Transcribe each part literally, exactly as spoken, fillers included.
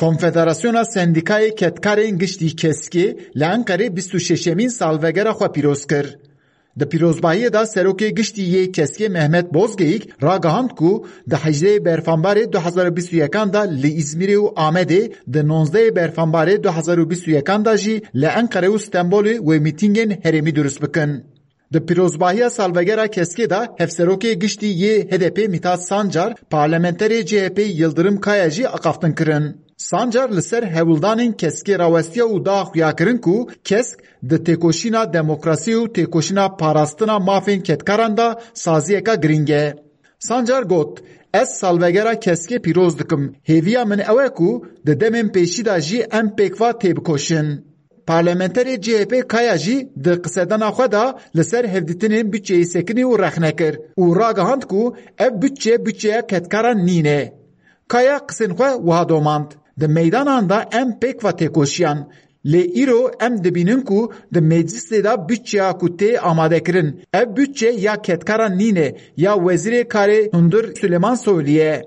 Konfederasyona Sendîkayê Kedkarên Giştî, keskê, li Enqerê bîst û şeşemîn salvegera xwe pîroz kir. Di pîrozbahiyê de Serokê Giştî yê keskê Mehmet Bozgeyik ragihand ku di hejdehê Berfanbarê du hezar û bîst û yekan de li Îzmîrê û Amedê, di nonzdehê Berfanbarê du hezar û bîst û yekan de jî li Enqere û Stenbolê wê mîtîngên herêmî durust bikin. Di pîrozbahiya salvegera keskê de Hevserokê Giştî yê H D P Mithat Sancar, parlamenterê C H P Yildirim Kaya jî axaftin kirin. Sancar li ser hewldanên keskê rawestiya û da xuyakirin ku kesk di têkoşîna demokrasî û têkoşîna parastina mafên kedkaran de saziyeka girîng e. Sancar got, Ez salvegera keskê pîroz dikim. Hêviya min ew e ku di demên pêşî de jî em pêkva têbikoşin. Parlamenterê C H P Kaya jî di qisedana xwe de li ser hevdîtinên budçeyê sekinî û rexne kir û ragihand ku ev budçe budçeya kedkaran nîne. Kaya qisên xwe wiha domand, Di meydanan de em pêkva têkoşiyan. Lê îro em dibînin ku di meclisê de budçeya ku tê amadekirin, ev budçe ya kedkaran nîne, ya Wezîrê Karê Hundir Suleyman Soylu ye.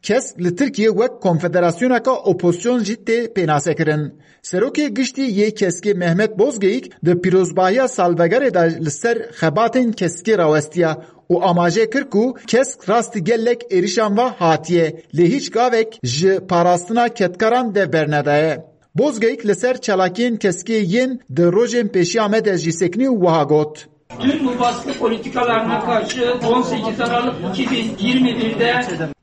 Kesk li Tirkiyê wek konfederasyoneke opozisyon jî tê pênasekirin. Serokê Giştî yê Keskê Mehmet Bozgeyik di pîrozbahiya salvegerê de li ser xebatên Keskê rawestiya û amaje kir ku Kesk rastî gelek êrişan ve hatiye, lê hîç gavek ji parastina kedkaran dev bernedaye. Bozgeyik li ser çalakiyên Keskê yên di rojên pêşiya me de jî sekinî û wiha got. Tüm bu baskı politikalarına karşı on sekiz Aralık iki bin yirmi birde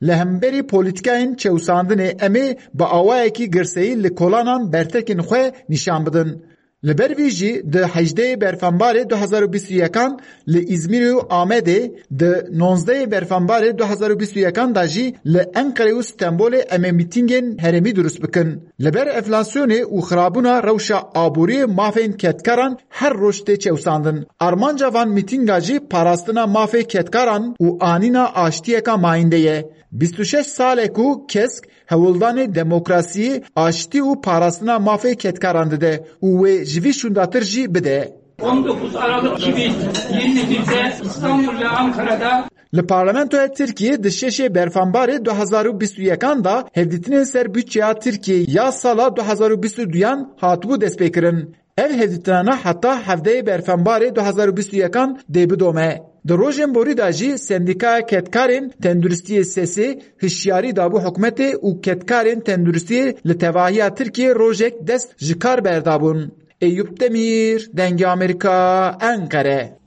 Li hemberî polîtîkayên çewsandinê em ê bi awayekî girseyî li kolanan bertekên xwe nîşan bidin. Li ber vî jî di hejdehê Berfenbarê du hezar û bîst û yekan li Îzmîrê û Amedê, di nonzdehê Berfenbarê du hezar û bîst û yekan de jî li Enqerê û Stenbolê em ê mîtîngên herêmî durust bikin. Li ber enflasyonê û xirabûna rewşa aboriyê mafên kedkaran her roj tê çewsandin. Armanca van mîtînga jî parastina mafê kedkaran û anîna aştiyeka mayînde ye. Bîst û şeş sal e ku Kesk hewldanê demokrasiyê, aştî û parastina mafê kedkaran dide û wê ji vî şûndatir jî bide. on dokuz Aralık iki bin yirmi birde İstanbul ve Ankara'da Li Parlamentoya Tirkiyê di şeşê Berfanbarê du hezar û bîst û yekan de hevdîtinên ser budçeya Tirkiyê ya sala du hezar û bîst û duyan hatibû destpêkirin. Ev hevdîtinane heta hevdehê Berfanbarê du hezar û bîst û yekan dê bidome. Di rojên borî de jî Sendîkaya Kedkarên Tenduristiyê SESê hişyarî dabû hikûmetê û kedkarên tenduristiyê li tevahiya Tirkiyê rojek dest ji kar berdabûn. Eyûp Demîr, Dengê Amerîka, Enqere.